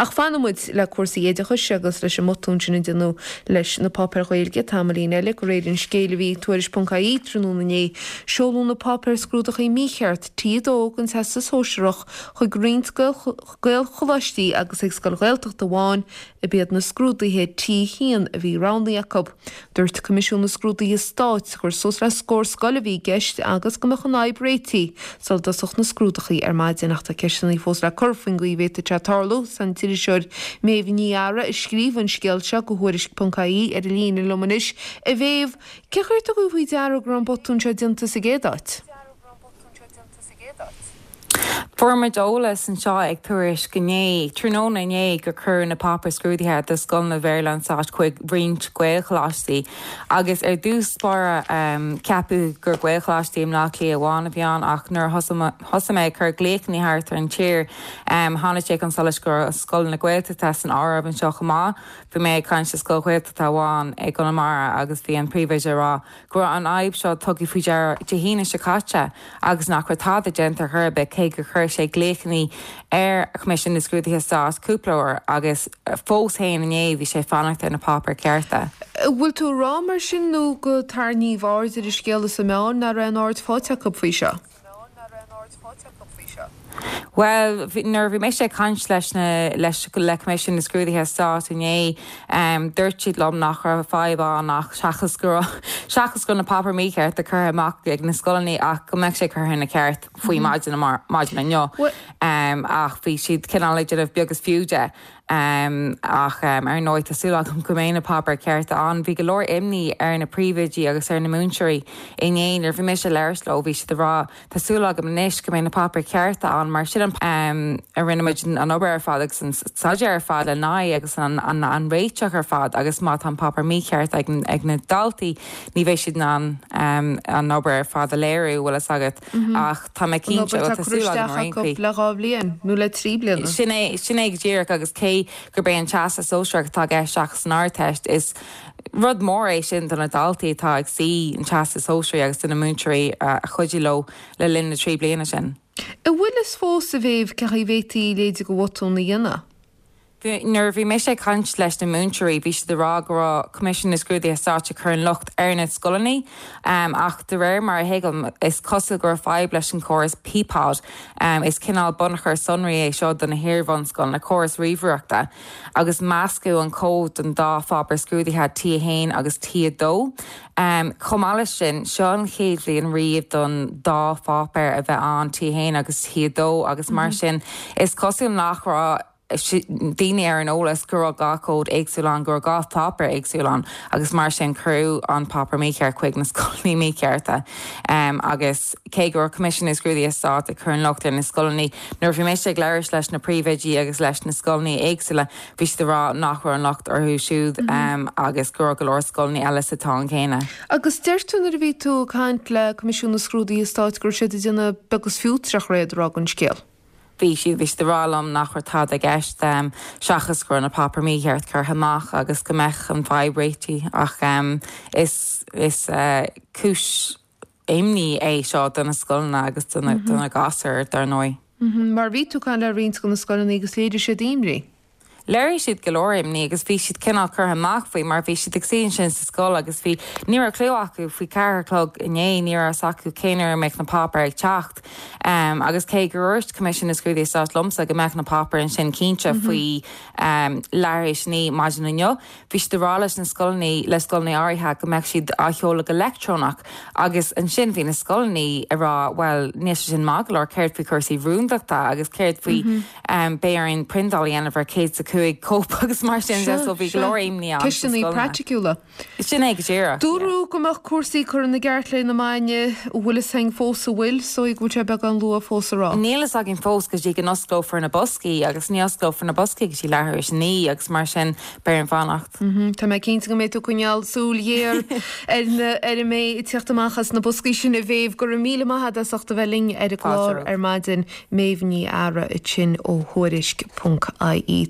Ach fanfaidh muid le cúrsaí oideachais agus leis an mbotún sin a déanadh leis na páipéir Ghaeilge tamaillín eile. De réir an scéil a bhí ag Tuairisc ponc ie tráthnóna inné, seoladh na páipéir scrúdachaí mícheart T2 den Teastas Sóisearach chuig roinnt Gaelcholáistí agus ag scoil Ghaeltachta amháin a b'iad na scrúduithe T1 a bhí roghnaithe acu. Dúirt Coimisiún na Scrúduithe Stáit gur suas le scór scoil a bhí i gceist agus go mbeadh an fhadhb réitithe sula dtosódh na scrúdachaí ar maidin ach tá ceisteanna fós le cur faoin gcaoi a bhféadfadh sé tarlú. Is an t-iriseoir Méabh Ní Eadhra a scríobh an scéal seo do Thuairisc ponc ie ar an líne liom anois. A Mhéabh, cén chaoi ar tugadh faoi deara go raibh an botún seo déanta sa gcéad áit? Fuair muid eolas anseo ag Tuairisc inné, tráthnóna inné, gur cuireadh na páipéir scrúdaithe do scoileanna Bhéarla an Stáit chuig roinnt Gaelcholáistí agus ar dtús báire ceapadh gur Gaelcholáistí i mBleá Cliath amháin a bhí ann ach nuair a thosaigh mé ag cur glaochanna thart ar an tír tháinig sé chun solais go raibh scoileanna Gaeltachta san áireamh anseo chomh maith. Bhí mé ag caint le scoil Ghaeltachta amháin i gConamara agus bhí an príomhoide ag rá go raibh an fhadhb seo tugtha faoi deara Dé hAoine seo caite agus nach raibh tada déanta ar chor ar bith cé gur chuir sé glaochanna ar Choimisiún na Scrúduithe Stáit cúpla uair agus fós féin inné bhí sé ag fanacht ar na páipéir cearta. An bhfuil tú ag rá mar sin nó gur tarraingíodh aird ar an scéal sna meáin nach raibh aon aird faighte acu faoi seo? Bhuel, nuair a bhí mise ag caint leis na, leis, le Coimisiún na Scrúduithe Stáit inné, dúirt siad liom nach raibh fadhb ann ach seachas go raibh, seachas go raibh na páipéir míchearta curtha amach ag na scoileanna ach go mbeadh sé curtha ina ceart faoi maidin, maidin inniu. Ach bhí siad cineál ag déanamh beag is fiú de. Ach ar ndóigh tá súil agam go mbeidh na páipéir cearta ann. Bhí go leor imní ar na príomhoidí agus ar na múinteoirí inné nuair a bhí mise ag labhairt leo, bhí siad ag rá tá súil agam anois go mbeidh na páipéir cearta ann mar sin an a rinne muid an obair ar fad agus an staidéar ar fad lena aghaidh agus an an réiteach ar fad agus má tá an páipéar mícheart ag ag na daltaí ní bheidh siad in ann an obair ar fad a léiriú, bhfuil fhios agat. Ach tá mé An cinnte, obair bhuel atá tá curtha súil agam isteach ar aon acu chaoi. le 2 bhliain nó le 3 bliana. Sin é, sin é go díreach agus cé gurb é an Teastas Sóisearach atá i gceist seachas an Ardteist, is rud mór é sin do na daltaí atá ag suí an Teastas Sóisearaigh agus do na múinteoirí a chuidigh leo le linn na dtrí bliana sin. An bhfuil fhios fós, a Mhéabh, cén chaoi a bhféadfaí a leithéid de bhotún a dhéanamh? Nuair a bhí mise ag caint leis na múinteoirí, bhí siad ag rá go raibh Coimisiún na Scrúduithe Stáit ag cur an locht ar na scoileanna, ach de réir mar a thuigim, is cosúil go raibh fadhb leis an chóras PPOD. Is cineál bunachar sonraí é seo do na hiar-bhunscoileanna, córas ríomhaireachta, agus meascadh an cód don dá pháipéar scrúdaithe, T1 agus T2. Chomh maith leis sin, seo an chéad bhliain riamh don dá pháipéar a bheith ann, T1 agus T2, agus mar sin, is cosúil nach raibh daoine ar an eolas go raibh dhá chód éagsúil ann, go raibh dhá pháipéar éagsúil ann agus mar sin cuireadh an páipéar mícheart chuig na scoileanna míchearta. Agus cé go raibh Coimisiún na Scrúduithe Stáit ag cur an locht ar na scoileanna, nuair a bhí mise ag labhairt leis na príomhoidí agus leis na scoileanna éagsúla, bhí siad ag rá nach raibh an locht orthu siúd agus go raibh go leor scoileanna eile sa tsáinn chéanna. Agus deir tú nuair a bhí tú ag caint le Coimisiún na Scrúduithe Stáit go raibh siad ag déanamh beag is fiú tré a rá den scéal. Bhí siad, bhí siad ag rá liom nach raibh tada i gceist seachas go raibh na páipéir mícheart curtha amach agus go mbeadh an fadhb réitithe ach is, is cúis imní é seo do na scoileanna agus do na, do na gasúir dar ndóigh. Mar bhí tú ag caint le roinnt de na scoileanna agus léirigh siad imní. Léirigh siad go leor imní agus bhí siad cineál curtha amach faoi mar bhí siad ag suí ansin sa scoil agus bhí, ní raibh clue acu faoi cheathair a chlog inné, ní raibh fhios acu cén uair a mbeadh na páipéir ag teacht. Agus cé gur dhúirt Coimisiún na Scrúduithe Stáit liomsa go mbeadh na páipéir ansin cinnte faoi leathuair tar éis a naoi maidin inniu, Bhí siad ag rá leis na scoileanna, le scoileanna áirithe, go mbeadh siad á sheoladh go leictreonach agus ansin bhí na scoileanna ag rá bhuel níl sé sin maith go leor, céard faoi chúrsaí rúndachta agus céard faoi beidh orainn priontáil a dhéanamh ar 105 cóip agus mar sin de so bhí go leor imní ann sna Ceisteanna scoileanna. praiticiúla. Sin é go díreach, yeah. Dúradh go mbeadh cúrsaí curtha ina gceart le na maidine, an bhfuil fhios againn fós an bhfuil, is dóigh go bhfuil sé beagán luath fós a rá. Níl fhios againn fós go dtí go n-osclófar na boscaí agus ní osclófar na boscaí go dtí leathuair tar éis a naoi agus mar sin beidh orainn fanacht. Tá mé cinnte go mbeidh tú ag coinneáil súil ghéar ar na ar a mbeidh ag tíocht amach as na boscaí sin a Mhéabh. Go raibh míle maith agat as ucht a bheith linn ar an gclár ar maidin. Méabh Ní Eadhra ansin ó Thuairisc ponc IE.